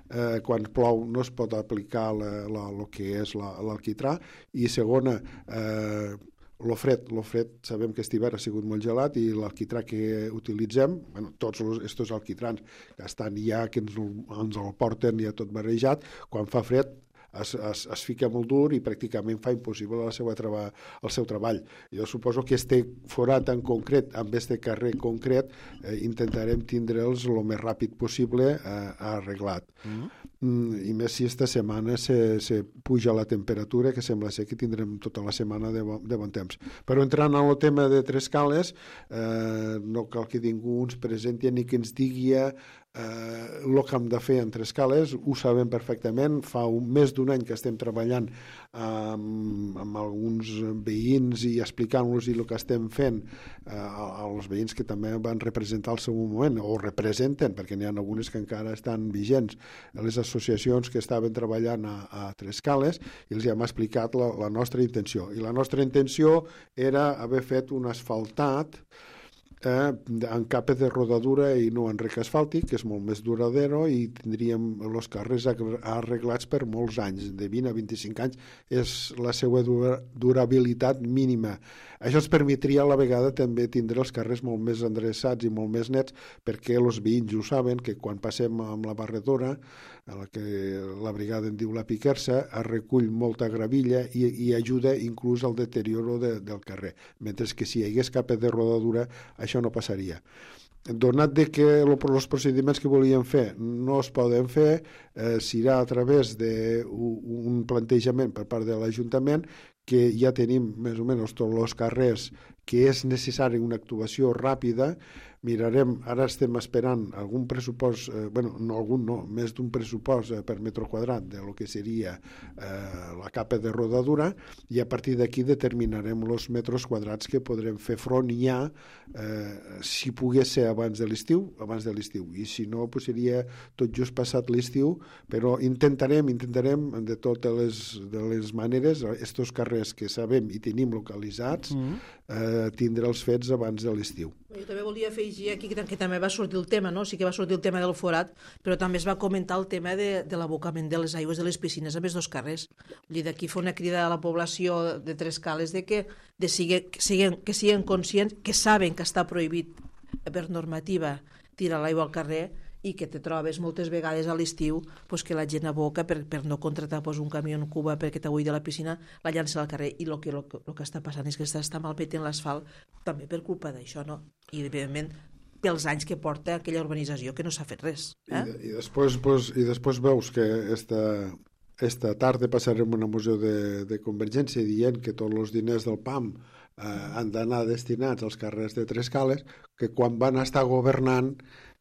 eh, quan plou no es pot aplicar el que és l'alquitrà, i segona, eh, lo fred, lo fred, sabem que aquest hivern ha sigut molt gelat i l'alquitrà que utilitzem, bueno, tots aquests alquitrans que estan ja, que ens, ens el porten ja tot barrejat, quan fa fred es, es, es fica molt dur i pràcticament fa impossible la seva treba, el seu treball. Jo suposo que este forat en concret, amb este carrer concret, eh, intentarem tindre'ls el més ràpid possible eh, arreglat. Mm. Mm, i més si esta setmana se, se puja la temperatura, que sembla ser que tindrem tota la setmana de bon, de bon temps. Però entrant en el tema de Trescales, eh, no cal que ningú ens presenti ni que ens digui eh, el que hem de fer en Trescales, ho sabem perfectament, fa un, més d'un any que estem treballant amb, amb alguns veïns i explicant-los el que estem fent eh, als veïns que també van representar al seu moment, o representen, perquè n'hi ha algunes que encara estan vigents, les associacions que estaven treballant a, a Trescales, i els hem explicat la, la nostra intenció. I la nostra intenció era haver fet un asfaltat Eh, en capa de rodadura i no en rec asfàltic, que és molt més duradero, i tindríem els carrers arreglats per molts anys, de vint a vint-i-cinc anys és la seva durabilitat mínima. Això ens permetria a la vegada també tindre els carrers molt més endreçats i molt més nets, perquè els veïns ho saben, que quan passem amb la barredora, a la que la brigada en diu la piquersa, es recull molta gravilla i, i ajuda inclús al deterioro de, del carrer, mentre que si hi hagués capa de rodadura això no passaria. Donat de que els procediments que volíem fer no es poden fer, eh, serà a través d'un plantejament per part de l'Ajuntament, que ja tenim més o menys tots els carrers que és necessari una actuació ràpida. Mirarem, ara estem esperant algun pressupost, eh, bueno, no algun, no, més d'un pressupost eh, per metre quadrat de lo que seria eh, la capa de rodadura, i a partir d'aquí determinarem els metres quadrats que podrem fer front ja, eh, si pogués ser abans de l'estiu, abans de l'estiu, i si no, pues seria tot just passat l'estiu, però intentarem, intentarem de totes les, de les maneres, estos carrers que sabem i tenim localitzats, mm-hmm. eh, tindre'ls fets abans de l'estiu. Jo també volia afegir aquí que, que també va sortir el tema, no? Sí que va sortir el tema del forat, però també es va comentar el tema de, de l'abocament de les aigües de les piscines amb els dos carrers. Vull dir, d'aquí fa una crida a la població de Trescales de que, de sigue, que, siguen, que siguen conscients, que saben que està prohibit per normativa tirar l'aigua al carrer, i que te trobes moltes vegades a l'estiu pues, que la gent aboca per, per no contractar pues, un camió en Cuba perquè t'avui de la piscina, la llança al carrer, i el que, lo, lo que està passant és que s'està malmetent l'asfalt també per culpa d'això, no? I evidentment pels anys que porta aquella urbanització que no s'ha fet res. Eh? I, i, després, pues, i després veus que esta, esta tarda passarem una moció de, de Convergència dient que tots els diners del P A M eh, han d'anar destinats als carrers de Trescales, que quan van estar governant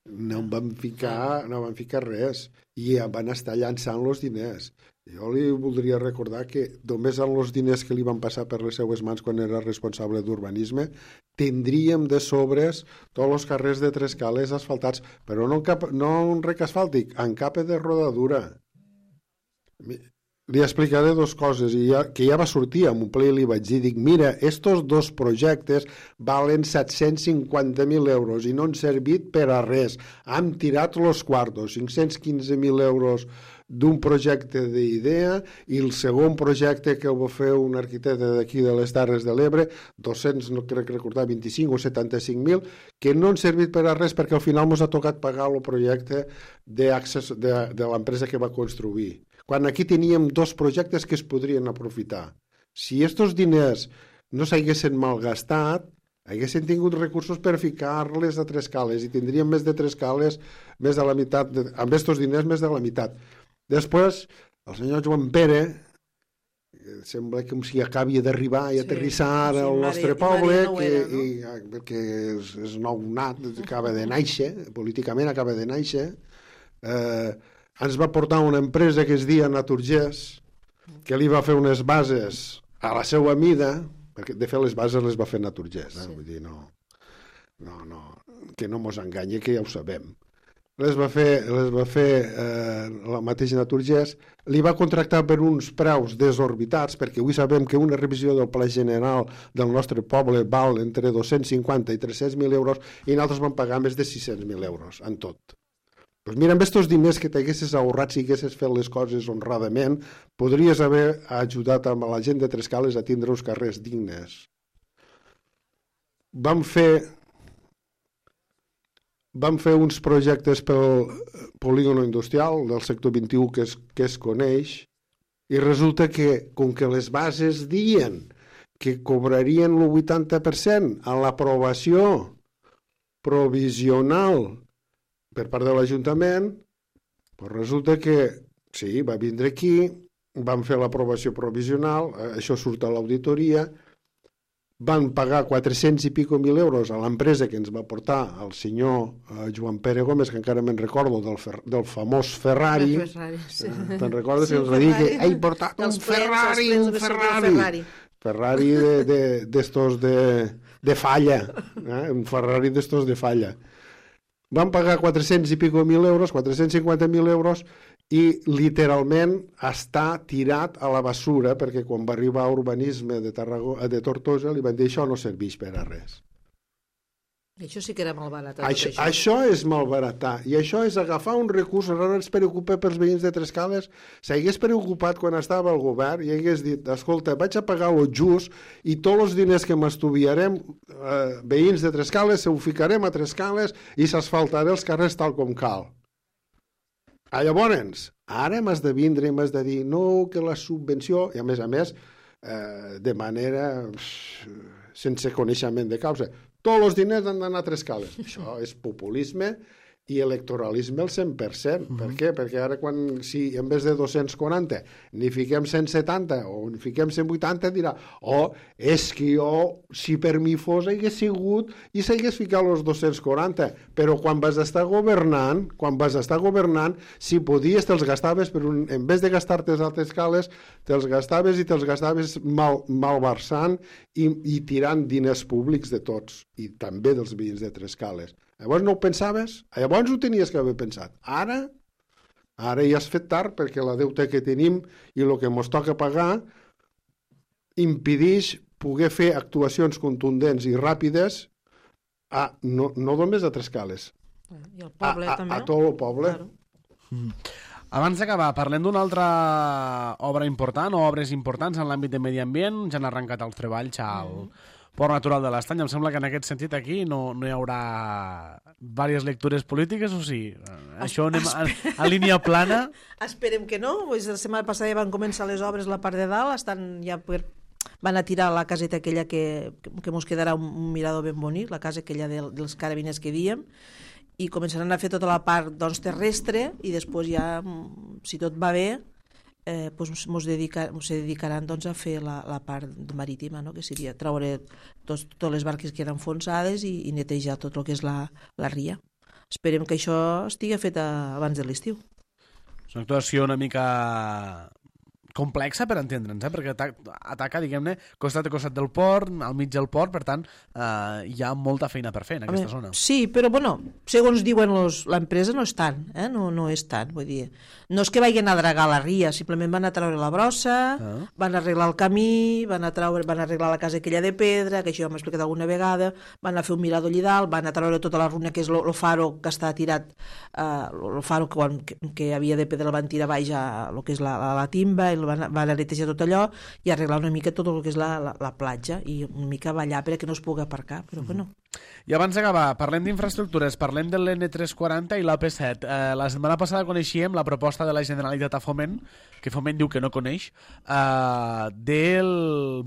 no van ficar, no van ficar res i van estar llançant els diners. Jo li voldria recordar que només amb els diners que li van passar per les seues mans quan era responsable d'urbanisme tindríem de sobres tots els carrers de Trescales asfaltats, però no en, cap, no en rec asfàltic, en capa de rodadura. Li explicaré dues coses, i ja, que ja va sortir en un ple i li vaig dir, dic, mira, estos dos projectes valen set-cents cinquanta mil euros i no han servit per a res. Hem tirat los quartos, cinc-cents quinze mil euros d'un projecte d'idea, i el segon projecte que ho va fer un arquitecte d'aquí de les Terres de l'Ebre, dos-cents, no crec recordar, vint-i-cinc o setanta-cinc mil, que no han servit per a res perquè al final ens ha tocat pagar el projecte de, de, de l'empresa que va construir. Quan aquí teníem dos projectes que es podrien aprofitar. Si estos diners no s'haguessin malgastat, haguessin tingut recursos per ficar-les a Trescales i tindríem més de Trescales, més de la meitat, de, amb estos diners més de la meitat. Després, el senyor Joan Pere, sembla com si acabi d'arribar i aterrissar sí, al nostre mare, poble, que, era, no? i, perquè és, és nou nat, acaba de néixer, políticament acaba de néixer, eh, ens va portar una empresa que es deia Naturgés, que li va fer unes bases a la seva mida, perquè de fet les bases les va fer Naturgés, eh? Sí. Vull dir, no, no, no, que no mos enganye, que ja ho sabem. les va fer, les va fer eh, la mateixa Naturgés, li va contractar per uns preus desorbitats, perquè avui sabem que una revisió del Pla General del nostre poble val entre dos-cents cinquanta i tres-cents mil euros i nosaltres vam pagar més de sis-cents mil euros en tot. Doncs mira, amb aquests diners que t'haguessis ahorrat si haguessis fet les coses honradament, podries haver ajudat a la gent de Trescales a tindre uns carrers dignes. Vam fer... Vam fer uns projectes pel polígono industrial del sector vint-i-u que es, que es coneix i resulta que, com que les bases diuen que cobrarien el vuitanta per cent a l'aprovació provisional per part de l'Ajuntament, doncs resulta que sí, va vindre aquí, vam fer l'aprovació provisional, això surt a l'auditoria, van pagar quatre-cents i pico mil euros a l'empresa que ens va portar el senyor eh, Joan Pere Gómez, que encara me'n recordo del, fer, del famós Ferrari. Ferrari sí. eh, Te'n recordes sí, que ens va dir que he portat els un plens, Ferrari, plens, un Ferrari. Ferrari. Ferrari d'estos de, de, de, de falla, eh? Un Ferrari d'estos de falla. Van pagar quatre-cents i pico mil euros, quatre-cents cinquanta mil euros, i literalment està tirat a la bessura perquè quan va arribar a urbanisme de, Tarragona, de Tortosa li van dir això no serveix per a res. Això sí que era malbaratar. Això, això. això és malbaratar i això és agafar un recurs. Ara es preocupa pels veïns de Trescales. S'hagués preocupat quan estava al govern i hagués dit, escolta, vaig a pagar lo just i tots els diners que m'estudiarem eh, veïns de Trescales se ho ficarem a Trescales i s'asfaltaré els carrers tal com cal. Ah, llavors, ara m'has de vindre i m'has de dir no, que la subvenció, i a més a més, eh, de manera sense coneixement de causa, tots els diners han d'anar a Trescales. Això és populisme i electoralisme al cent per cent. Mm-hmm. Per què? Perquè ara quan, si en vez de dos-cents quaranta n'hi fiquem cent setanta o n'hi fiquem cent vuitanta, dirà, oh, és que jo, si per mi fos, hagués sigut i s'hagués ficat els dos-cents quaranta. Però quan vas estar governant, quan vas estar governant, si podies, te'ls gastaves, per un, en vez de gastar-te a Trescales, te'ls gastaves i te'ls gastaves mal, malversant i, i tirant diners públics de tots, i també dels veïns de Trescales. Llavors no ho pensaves? Llavors ho tenies que haver pensat. Ara, ara ja has fet tard perquè la deuta que tenim i el que ens toca pagar impedeix poder fer actuacions contundents i ràpides a, no, no només a Trescales. I al poble, a, a, també, no? A tot el poble. Claro. Mm. Abans d'acabar, parlem d'una altra obra important o obres importants en l'àmbit de medi ambient. Ja han arrencat els treballs al mm. Port Natural de l'Estany. Em sembla que en aquest sentit aquí no, no hi haurà diverses lectures polítiques, o sí? Això anem a, a línia plana? Esperem que no. Pues la setmana passada ja van començar les obres a la part de dalt, estan ja per... van a tirar la caseta aquella que, que mos quedarà un, un mirador ben bonic, la casa aquella de, dels carabiners que diem, i començaran a fer tota la part doncs, terrestre i després ja, si tot va bé, eh, pues mos, dedica, mos dedicaran doncs, a fer la, la part marítima, no? Que seria treure tots, totes les barques que eren enfonsades i, i netejar tot el que és la, la ria. Esperem que això estigui fet a, abans de l'estiu. És una actuació una mica complexa per entendre'ns, eh? Perquè ataca, ataca diguem-ne, costat a costat del port, al mig del port, per tant, eh, hi ha molta feina per fer en aquesta zona. Sí, però, bueno, segons diuen l'empresa, no és tant, eh? no, no és tant, vull dir, no és que vagin a dragar la ria, simplement van a treure la brossa, ah. van a arreglar el camí, van a, treure, van a arreglar la casa aquella de pedra, que això ja m'he explicat alguna vegada, van a fer un mirador allà dalt, van a treure tota la runa que és el faro que està tirat, el uh, faro que, quan, que, que havia de pedra el van tirar baix a el que és la, la, la timba, i van, van a netejar tot allò i arreglar una mica tot el que és la, la, la platja i una mica ballar perquè no es pugui aparcar, però mm. bueno. I abans d'acabar, parlem d'infraestructures, parlem de l'N tres quaranta i l'A P set. Eh, la setmana passada coneixíem la proposta de la Generalitat a Foment, que Foment diu que no coneix, eh, del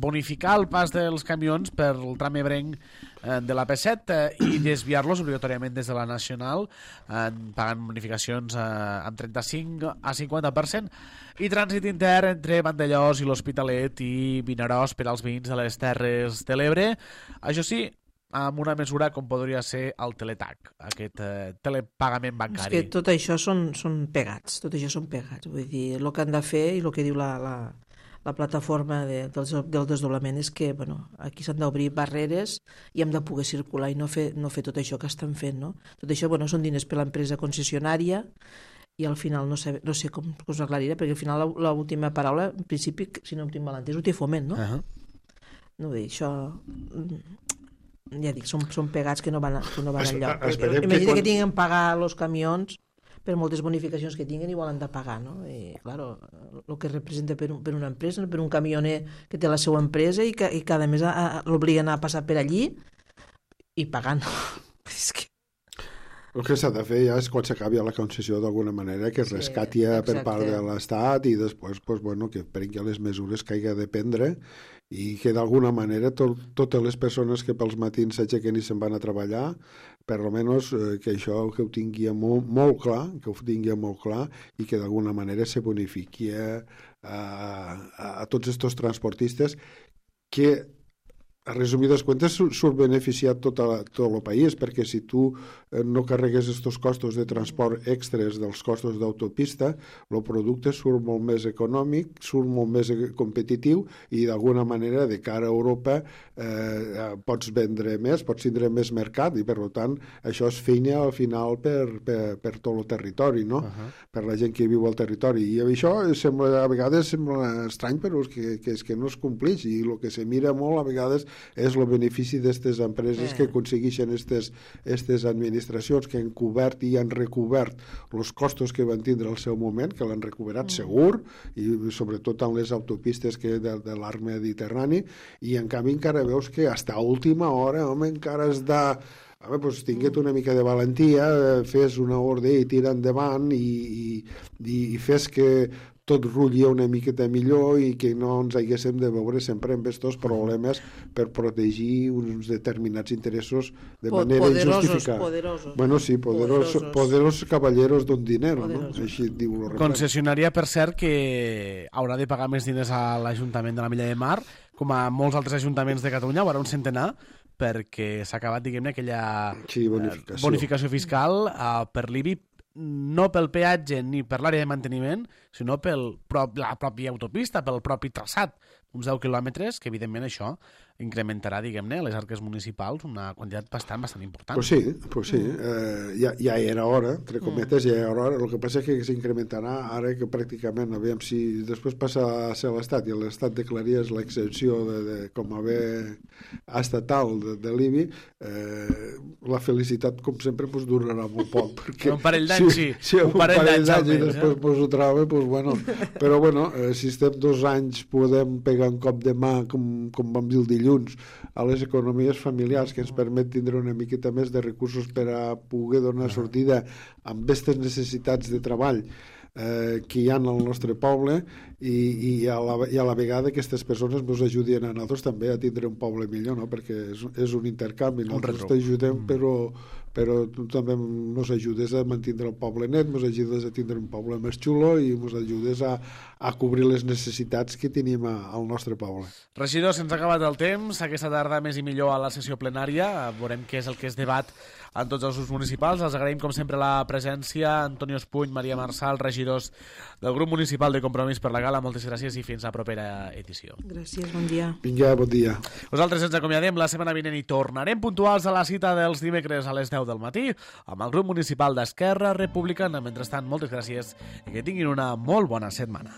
bonificar el pas dels camions per el tram ebrenc eh, de l'A P set eh, i desviar-los obligatòriament des de la Nacional, eh, pagant bonificacions eh, amb trenta-cinc a cinquanta per cent, i trànsit intern entre Vandellós i l'Hospitalet i Vinaròs per als veïns de les Terres de l'Ebre. Això sí, amb una mesura com podria ser el teletac, aquest eh, telepagament bancari. És que tot això són, són pegats, tot això són pegats. Vull dir, el que han de fer i el que diu la, la, la plataforma de, del, del desdoblament és que bueno, aquí s'han d'obrir barreres i hem de poder circular i no fer, no fer tot això que estan fent. No? Tot això bueno, són diners per l'empresa concessionària i al final no sé, no sé com, com us aclariré, perquè al final l'última paraula, en principi, si no em tinc mal entès, ho té Foment, no? Uh -huh. No dir, això... Ja dic, són, són pegats que no van, que no van es, enlloc. Imagina que, quan... que tinguin que pagar els camions per moltes bonificacions que tinguen i volen de pagar, no? I, claro, el que representa per, un, per una empresa, per un camioner que té la seva empresa i que i cada mes l'obliguen a passar per allí i pagant. És que... El que s'ha de fer ja és quan s'acabi la concessió d'alguna manera que es rescati sí, per part de l'Estat i després pues, bueno, que prengui les mesures que hagi de prendre i que d'alguna manera to totes les persones que pels matins s'aixequen i se'n van a treballar, per almenys eh, que això que ho tingui molt, molt clar, que ho tingui molt clar i que d'alguna manera se bonifiqui a, a, a tots aquests transportistes que a resumides cuentes surt beneficiat tot, a, tot el país, perquè si tu no carregues aquests costos de transport extres dels costos d'autopista, el producte surt molt més econòmic, surt molt més competitiu i d'alguna manera de cara a Europa eh, pots vendre més, pots tindre més mercat i per tant això és feina al final per, per, per tot el territori, no? Uh-huh. Per la gent que viu al territori. I això sembla, a vegades sembla estrany, però és que, que, és que no es complix i el que se mira molt a vegades és el benefici d'aquestes empreses eh. que aconsegueixen aquestes administracions que han cobert i han recobert els costos que van tindre al seu moment, que l'han recuperat mm. segur, i sobretot en les autopistes que de, de l'arc mediterrani, i en canvi encara veus que fins a última hora, home, encara has de... Home, doncs tinguet una mica de valentia, fes una ordre i tira endavant i, i, i fes que tot rutlli una miqueta millor i que no ens haguéssim de veure sempre amb aquests problemes per protegir uns determinats interessos de manera poderosos, injustificada. Poderosos, bueno, sí, poderosos, poderosos. poderosos caballeros d'un dinero, poderosos. No? Així diu el refrany. Concessionària, per cert, que haurà de pagar més diners a l'Ajuntament de la Milla de Mar, com a molts altres ajuntaments de Catalunya, haurà un centenar, perquè s'ha acabat, diguem-ne, aquella sí, bonificació. bonificació fiscal uh, per l'I B I, no pel peatge ni per l'àrea de manteniment, sinó per la pròpia autopista, pel propi traçat, uns deu quilòmetres, que evidentment això incrementarà, diguem-ne, les arques municipals una quantitat bastant, bastant important. Pues sí, pues sí. Mm. Eh, ja, ja era hora, entre cometes, mm. ja era hora. El que passa és que s'incrementarà ara que pràcticament, aviam, si després passa a ser l'Estat i l'Estat declaries l'exempció de, de, com a bé estatal de, de l'I B I, eh, la felicitat, com sempre, pues, durarà molt poc. Perquè un parell d'anys, sí. Si, si un parell d'anys i després eh? pues, ho troba, pues, bueno. Però, bueno, eh, si estem dos anys podem pegar un cop de mà, com, com vam dir el dilluns, a les economies familiars, que ens permet tindre una miqueta més de recursos per a poder donar sortida amb aquestes necessitats de treball eh, que hi ha al nostre poble i, i, a la, i a la vegada aquestes persones ens ajudin a nosaltres també a tindre un poble millor, no? Perquè és, és un intercanvi, nosaltres t'ajudem, però però tu també ens ajudes a mantenir el poble net, ens ajudes a tindre un poble més xulo i ens ajudes a, a cobrir les necessitats que tenim a, al nostre poble. Regidor, se'ns ha acabat el temps. Aquesta tarda més i millor a la sessió plenària. Veurem què és el que es debat en tots els grups municipals. Els agraïm, com sempre, la presència. Antonio Espuny, Maria Marçal, regidors del grup municipal de Compromís per la Gala. Moltes gràcies i fins a la propera edició. Gràcies, bon dia. Vinga, bon dia. Nosaltres ens acomiadem la setmana vinent i tornarem puntuals a la cita dels dimecres a les deu del matí amb el grup municipal d'Esquerra Republicana. Mentrestant, moltes gràcies i que tinguin una molt bona setmana.